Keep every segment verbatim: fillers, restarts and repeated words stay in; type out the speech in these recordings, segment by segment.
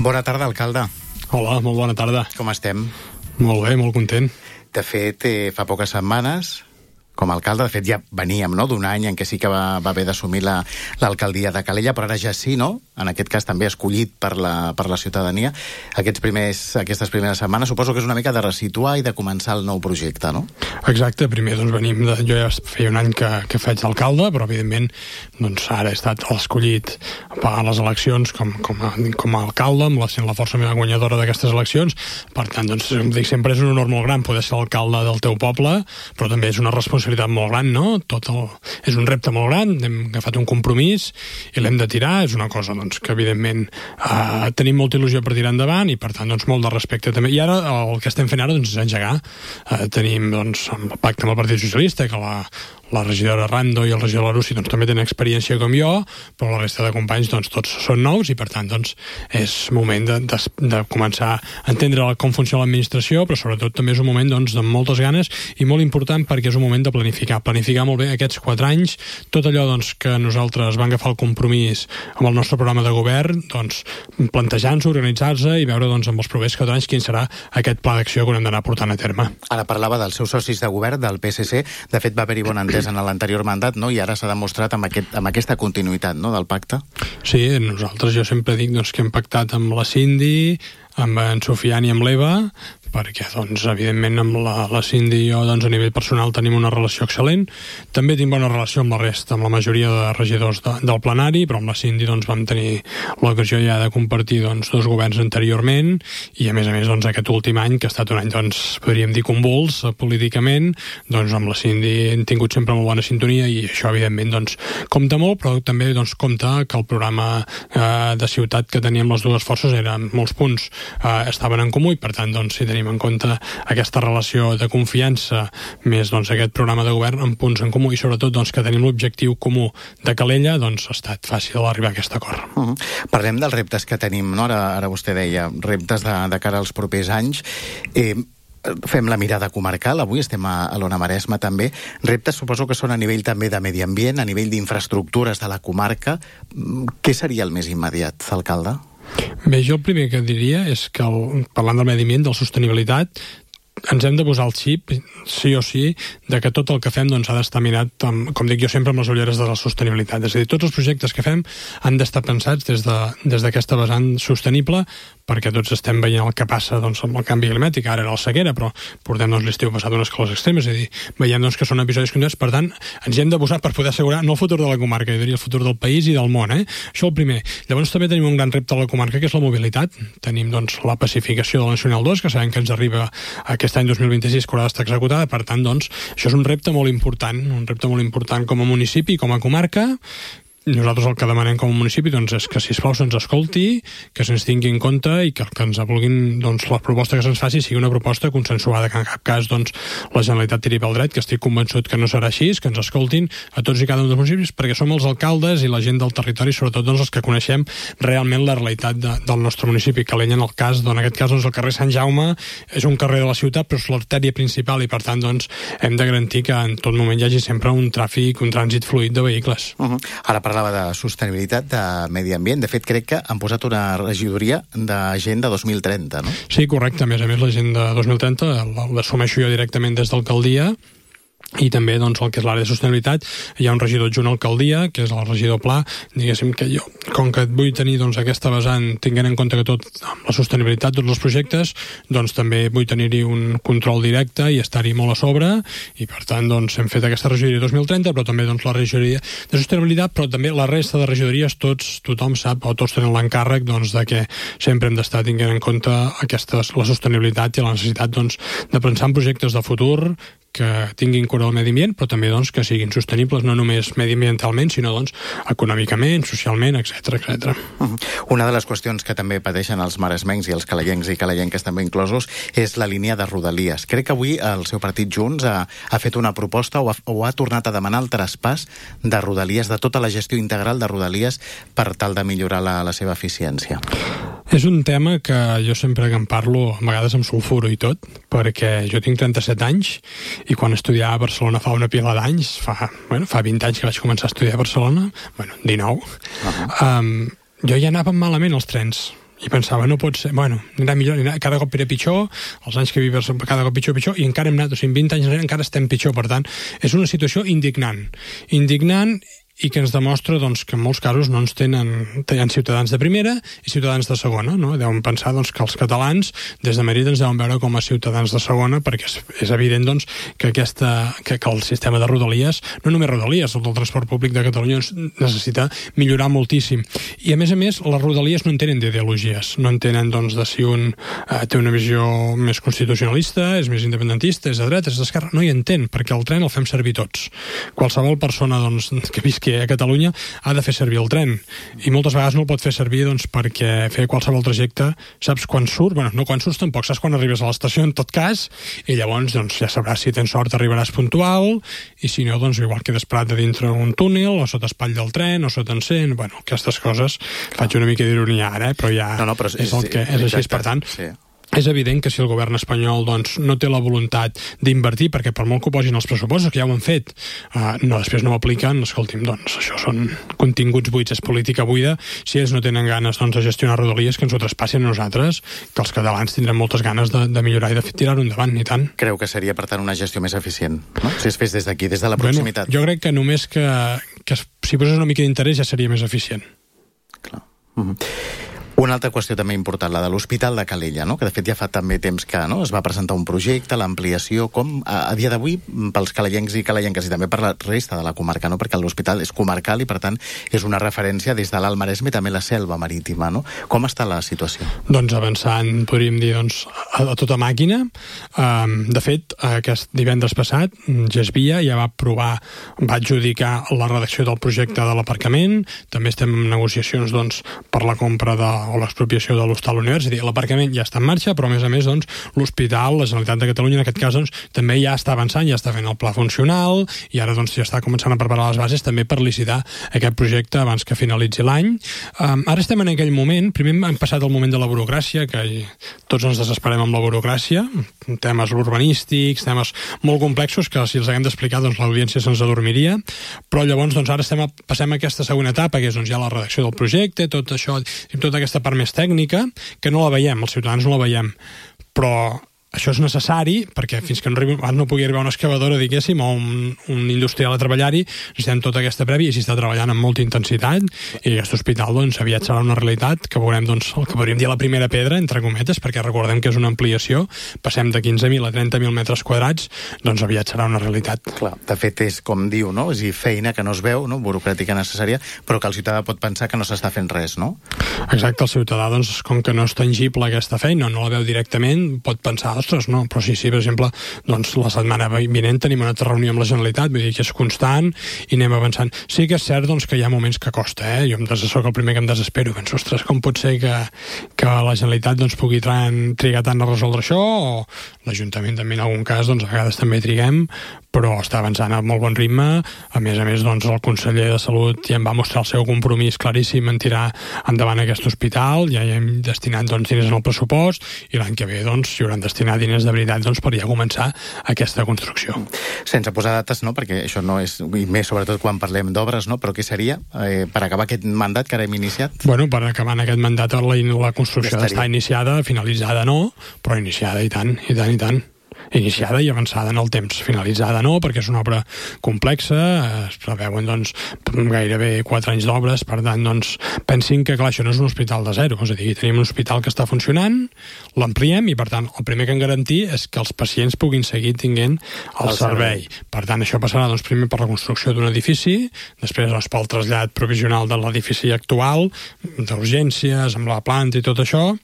Bona tarda, alcalde. Hola, molt bona tarda. Com estem? Molt bé, molt content. De fet, eh, fa poques setmanes, com a alcalde, de fet ja veníem, no?, d'un any en què sí que va, va haver d'assumir la, l'alcaldia de Calella, però ara ja sí, no?, en aquest cas també escollit per la, per la ciutadania. Aquests primers, aquestes primeres setmanes suposo que és una mica de resituar i de començar el nou projecte, no? Exacte, primer doncs venim de... Jo ja feia un any que, que faig d'alcalde, però evidentment doncs ara he estat escollit a les eleccions com, com, a, com a alcalde, amb la, sent la força meva guanyadora d'aquestes eleccions. Per tant, doncs, em dic, sempre és un honor molt gran poder ser alcalde del teu poble, però també és una responsabilitat molt gran, no? Tot el... És un repte molt gran, hem agafat un compromís i l'hem de tirar, és una cosa doncs, que evidentment eh, tenim molta il·lusió per tirar endavant i per tant doncs, molt de respecte també. I ara el que estem fent ara doncs, és engegar. Eh, tenim doncs, el pacte amb el Partit Socialista, que la, la regidora Rando i el regidor Larussi doncs, també tenen experiència com jo, però la resta de companys doncs, tots són nous i per tant doncs, és moment de, de, de començar a entendre com funciona l'administració, però sobretot també és un moment doncs, de moltes ganes i molt important perquè és un moment de planificar, planificar molt bé aquests quatre anys, tot allò doncs, que nosaltres vam agafar el compromís amb el nostre programa de govern, doncs, plantejar-nos, organitzar-se i veure doncs, amb els propers quatre anys quin serà aquest pla d'acció que haurem d'anar portant a terme. Ara parlava dels seus socis de govern, del P S C, de fet va haver-hi bon entès en l'anterior mandat, no? I ara s'ha demostrat amb, aquest, amb aquesta continuïtat, no?, del pacte. Sí, nosaltres jo sempre dic doncs, que hem pactat amb la Cindy, amb en Sofian i amb l'Eva, perquè, doncs, evidentment, amb la, la Cindy i jo, doncs, a nivell personal tenim una relació excel·lent. També tinc bona relació amb la resta, amb la majoria de regidors de, del plenari, però amb la Cindy, doncs, vam tenir l'ocasió ja de compartir, doncs, dos governs anteriorment, i, a més a més, doncs, aquest últim any, que ha estat un any, doncs, podríem dir, convuls políticament, doncs, amb la Cindy hem tingut sempre molt bona sintonia, i això, evidentment, doncs, compta molt, però també, doncs, compta que el programa eh, de ciutat que teníem les dues forces eren molts punts eh, estaven en comú, i, per tant, doncs, si tenim en compte aquesta relació de confiança més doncs, aquest programa de govern amb punts en comú i sobretot doncs, que tenim l'objectiu comú de Calella, doncs ha estat fàcil arribar a aquest acord. Uh-huh. Parlem dels reptes que tenim, no? Ara, ara vostè deia, reptes de, de cara als propers anys. Eh, fem la mirada comarcal, avui estem a, a l'Ona Maresma també. Reptes suposo que són a nivell també de medi ambient, a nivell d'infraestructures de la comarca. Què seria el més immediat, alcalde? Bé, jo el primer que diria és que, el, parlant del medi ambient, de la sostenibilitat, ens hem de posar el xip, sí o sí, de que tot el que fem doncs, ha d'estar mirat, amb, com dic jo sempre, amb les ulleres de la sostenibilitat. És a dir, tots els projectes que fem han d'estar pensats des, de, des d'aquesta vessant sostenible, perquè tots estem veient el que passa doncs, amb el canvi climàtic. Ara era la sequera, però portem doncs, l'estiu passat unes calors extremes, és a dir, veiem doncs, que són episodis continuats, per tant, ens hi hem de posar per poder assegurar no el futur de la comarca, jo diria el futur del país i del món, eh? Això el primer. Llavors també tenim un gran repte a la comarca, que és la mobilitat. Tenim doncs, la pacificació de la Nacional dos, que sabem que ens arriba aquest any dos mil vint-i-sis, que haurà d'estar executada, per tant, doncs, això és un repte molt important, un repte molt important com a municipi i com a comarca. Nosaltres el que demanem com a municipi doncs, és que, sisplau, se'ns escolti, que se'ns tingui en compte i que, que ens vulguin, doncs, la proposta que se'ns faci sigui una proposta consensuada, que en cap cas doncs, la Generalitat tiri pel dret, que estic convençut que no serà així, que ens escoltin a tots i cada un dels municipis, perquè som els alcaldes i la gent del territori, sobretot doncs, els que coneixem realment la realitat de, del nostre municipi. Calella, en el cas, doncs, en aquest cas, doncs, el carrer Sant Jaume és un carrer de la ciutat, però és l'artèria principal i, per tant, doncs, hem de garantir que en tot moment hi hagi sempre un tràfic, un trànsit fluid de vehicles. Uh-huh. Ara parlava de sostenibilitat, de medi ambient. De fet, crec que han posat una regidoria d'Agenda dos mil trenta, no? Sí, correcte. A més a més, l'Agenda dos mil trenta l'assumeixo jo directament des d'alcaldia, i també doncs, el que és l'àrea de sostenibilitat. Hi ha un regidor adjunt a l'alcaldia, que és el regidor Pla. Diguéssim que jo, com que vull tenir doncs, aquesta vessant, tinguent en compte que tot amb la sostenibilitat, tots els projectes, doncs també vull tenir-hi un control directe i estar-hi molt a sobre, i per tant doncs, hem fet aquesta regidoria dos mil trenta, però també doncs, la regidoria de sostenibilitat, però també la resta de regidories, tots, tothom sap, o tots tenen l'encàrrec doncs, de que sempre hem d'estar tinguent en compte aquesta, la sostenibilitat i la necessitat doncs, de pensar en projectes de futur que tinguin cura del medi ambient, però també doncs, que siguin sostenibles no només mediambientalment, sinó doncs, econòmicament, socialment, etcètera, etcètera. Uh-huh. Una de les qüestions que també pateixen els maresmencs i els calellencs i calellenques també inclosos és la línia de Rodalies. Crec que avui el seu partit Junts ha, ha fet una proposta o ha, o ha tornat a demanar el traspàs de Rodalies, de tota la gestió integral de Rodalies per tal de millorar la, la seva eficiència. És un tema que jo sempre que en parlo, a vegades em sulfuro i tot, perquè jo tinc trenta-set anys i quan estudiava a Barcelona fa una pila d'anys, fa, bueno, fa vint anys que vaig començar a estudiar a Barcelona, bueno, dinou, uh-huh. um, jo ja anava malament als trens. i pensava, no pot ser, bueno, anirà millor, anirà, cada cop era pitjor, els anys que vives cada cop pitjor, pitjor, i encara hem anat, o sigui, vint anys encara estem pitjor, per tant, és una situació indignant, indignant, i que ens demostra doncs, que en molts casos no ens tenen, tenen ciutadans de primera i ciutadans de segona, no? Deuen pensar doncs, que els catalans des de Madrid ens deuen veure com a ciutadans de segona, perquè és, és evident doncs, que, aquesta, que, que el sistema de Rodalies, no només Rodalies, el del transport públic de Catalunya necessita millorar moltíssim. I a més a més, les Rodalies no en tenen d'ideologies, no en tenen doncs, de si un eh, té una visió més constitucionalista, és més independentista, és de dreta, és d'esquerra, no hi entén, perquè el tren el fem servir tots. Qualsevol persona doncs, que visqui que a Catalunya ha de fer servir el tren i moltes vegades no el pot fer servir doncs, perquè fer qualsevol trajecte saps quan surt, bueno, no quan surts tampoc, saps quan arribes a l'estació en tot cas i llavors doncs, ja sabràs si tens sort arribaràs puntual i si no, doncs igual quedes parat a dintre un túnel o sota espall del tren o sota encén, bueno, aquestes coses faig una mica d'ironia ara, eh? Però ja no, no, però és, és el que és així, per tant sí. És evident que si el govern espanyol doncs, no té la voluntat d'invertir, perquè per molt que ho posin els pressupostos, que ja ho han fet, uh, no, després no ho apliquen, escolti'm, doncs això són continguts buits, és política buida, si ells no tenen ganes doncs, de gestionar Rodalies, que ens ho traspassin a nosaltres, que els catalans tindrem moltes ganes de, de millorar i de tirar-ho endavant, i tant. Creu que seria, per tant, una gestió més eficient, no? Si es fes des d'aquí, des de la proximitat. Bueno, jo crec que només que, que si posés una mica d'interès ja seria més eficient. Clar. Mm-hmm. Una altra qüestió també important, la de l'Hospital de Calella, no? Que de fet ja fa també temps que no? Es va presentar un projecte, l'ampliació, com a, a dia d'avui pels calellencs i calellenques i també per la resta de la comarca, no? Perquè l'hospital és comarcal i per tant és una referència des de l'Alt Maresme i també la selva marítima, no? Com està la situació? Doncs avançant, podríem dir, doncs, a, a tota màquina. Um, de fet, aquest divendres passat, Gesvia ja va aprovar, va adjudicar la redacció del projecte de l'aparcament, també estem en negociacions doncs, per la compra de o l'expropiació de l'Hostal Univers, és a dir, l'aparcament ja està en marxa, però a més a més doncs, l'hospital, la Generalitat de Catalunya en aquest cas doncs, també ja està avançant, ja està fent el pla funcional i ara doncs, ja està començant a preparar les bases també per licitar aquest projecte abans que finalitzi l'any. Um, ara estem en aquell moment, primer hem passat el moment de la burocràcia, que tots ens desesperem amb la burocràcia, temes urbanístics, temes molt complexos que si els haguem d'explicar doncs, l'audiència se'ns adormiria, però llavors doncs, ara estem a, passem a aquesta segona etapa, que és doncs, ja la redacció del projecte, tot això, tota aquesta part més tècnica, que no la veiem, els ciutadans no la veiem, però això és necessari perquè fins que no, arribi, no pugui arribar una excavadora, diguéssim, o un, un industrial a treballar-hi, necessitem tota aquesta prèvia i s'hi està treballant amb molta intensitat i aquest hospital doncs, aviat serà una realitat que veurem doncs, el que podríem dir la primera pedra, entre cometes, perquè recordem que és una ampliació, passem de quinze mil a trenta mil metres quadrats, doncs aviat serà una realitat. Clar, de fet és com diu, no? És a dir, feina que no es veu, no? Burocràtica necessària, però que el ciutadà pot pensar que no s'està fent res, no? Exacte, el ciutadà, doncs, com que no és tangible aquesta feina, no la veu directament, pot pensar, ostres, no, però sí, sí, per exemple, doncs la setmana vinent tenim una altra reunió amb la Generalitat, vull dir que és constant i anem avançant. Sí que és cert doncs, que hi ha moments que costa, eh? Jo em des... soc el primer que em desespero, penso, ostres, com pot ser que, que la Generalitat doncs, pugui trigar tant a resoldre això, o l'Ajuntament també en algun cas, doncs a vegades també triguem, però està avançant a molt bon ritme. A més a més, doncs, el conseller de Salut ja em va mostrar el seu compromís claríssim en tirar endavant aquest hospital, ja hi hem destinat doncs, diners en el pressupost i l'any que ve doncs, hi hauran destinat diners de veritat doncs, per ja començar aquesta construcció. Sense posar dates, no? Perquè això no és, i més sobretot quan parlem d'obres, no? Però què seria eh, per acabar aquest mandat que ara hem iniciat? Bueno, per acabar en aquest mandat la, la construcció ja està iniciada, finalitzada no, però iniciada i tant, i tant, i tant. Iniciada i avançada en el temps. Finalitzada no, perquè és una obra complexa, es preveuen doncs, gairebé quatre anys d'obres, per tant, doncs, pensin que clar, això no és un hospital de zero, és a dir, tenim un hospital que està funcionant, l'ampliem i, per tant, el primer que hem garantir és que els pacients puguin seguir tinguent el, el servei. servei. Per tant, això passarà doncs, primer per la construcció d'un edifici, després doncs, pel trasllat provisional de l'edifici actual, d'urgències, amb la planta i tot això,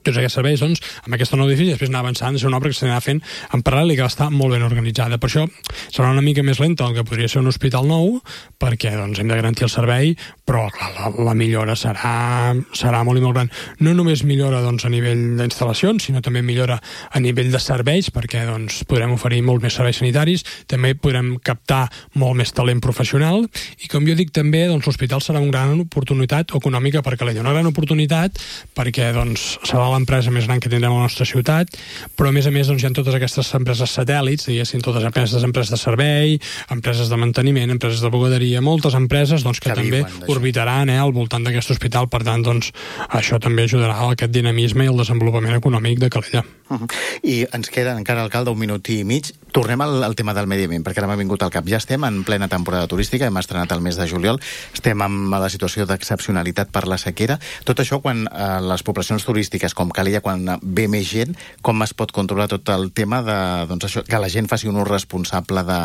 tots aquests serveis, doncs, amb aquest nou edifici després anar avançant, és una obra que s'anirà fent en paral·lel i que està molt ben organitzada. Per això serà una mica més lenta el que podria ser un hospital nou, perquè doncs, hem de garantir el servei, però clar, la, la millora serà, serà molt i molt gran. No només millora doncs, a nivell d'instal·lacions, sinó també millora a nivell de serveis, perquè doncs, podrem oferir molt més serveis sanitaris, també podrem captar molt més talent professional, i com jo dic també, doncs, l'hospital serà una gran oportunitat econòmica per Calella, una gran oportunitat perquè doncs, serà l'empresa més gran que tindrem a la nostra ciutat, però a més a més doncs, hi ha totes aquestes empreses satèl·lits, diguéssim, totes empreses, empreses de servei, empreses de manteniment, empreses de bugaderia, moltes empreses doncs, que, que també orbitaran eh, al voltant d'aquest hospital, per tant, doncs, això també ajudarà a aquest dinamisme i el desenvolupament econòmic de Calella. Uh-huh. I ens queda encara, alcalde, un minut i mig. Tornem al, al tema del medi ambient, perquè ara m'ha vingut al cap. Ja estem en plena temporada turística, hem estrenat el mes de juliol, estem en la situació d'excepcionalitat per la sequera. Tot això, quan eh, les poblacions turístiques, com Calella, quan ve més gent, com es pot controlar tot el tema de doncs això, que la gent faci un ús responsable de,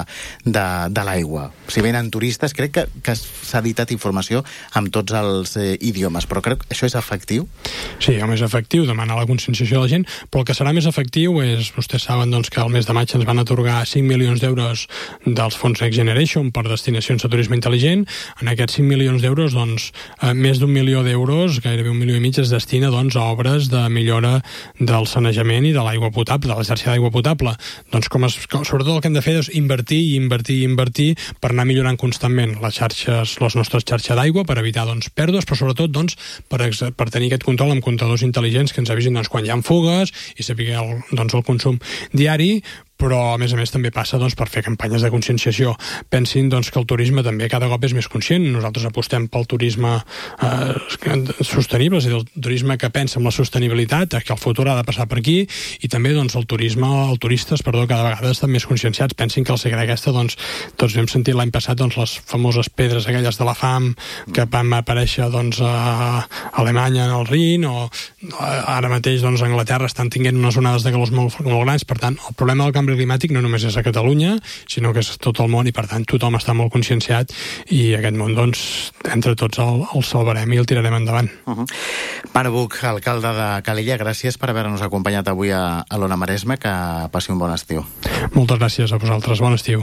de, de l'aigua? Si venen turistes, crec que, que s'ha editat informació amb tots els eh, idiomes, però crec que això és efectiu? Sí, home, és efectiu, demanar la conscienciació de la gent, però el que serà més efectiu és, vostès saben doncs, que al mes de maig ens van atorgar cinc milions d'euros dels fons Next Generation per destinacions de turisme intel·ligent. En aquests cinc milions d'euros, doncs, eh, més d'un milió d'euros, gairebé un milió i mig, es destina doncs, a obres de millora del sanejament i de l'aigua potable, de la xarxa d'aigua potable. Doncs, com es, com, sobretot el que hem de fer és invertir i invertir i invertir per anar millorant constantment les xarxes, les nostres xarxes d'aigua, per evitar doncs, pèrdues, però sobretot doncs, per, per tenir aquest control amb comptadors intel·ligents que ens avisin doncs, quan hi ha fugues i saber el, doncs, el consum diari, però a més a més també passa doncs, per fer campanyes de conscienciació. Pensin doncs, que el turisme també cada cop és més conscient. Nosaltres apostem pel turisme eh, sostenible, és a dir, el turisme que pensa en la sostenibilitat, que el futur ha de passar per aquí, i també doncs, el turisme, els turistes, perdó, cada vegada estan més conscienciats. Pensin que al segle aquesta, doncs, tots hem sentit l'any passat doncs, les famoses pedres aquelles de la fam que van aparèixer doncs, a Alemanya en el Rin, o ara mateix doncs, a Anglaterra estan tinguent unes onades de calors molt, molt grans. Per tant, el problema del canvi climàtic no només és a Catalunya, sinó que és tot el món, i per tant tothom està molt conscienciat, i aquest món, doncs, entre tots el, el salvarem i el tirarem endavant. Uh-huh. Pare Buch, alcalde de Calella, gràcies per haver-nos acompanyat avui a, a l'Ona Maresme, que passi un bon estiu. Moltes gràcies a vosaltres, bon estiu.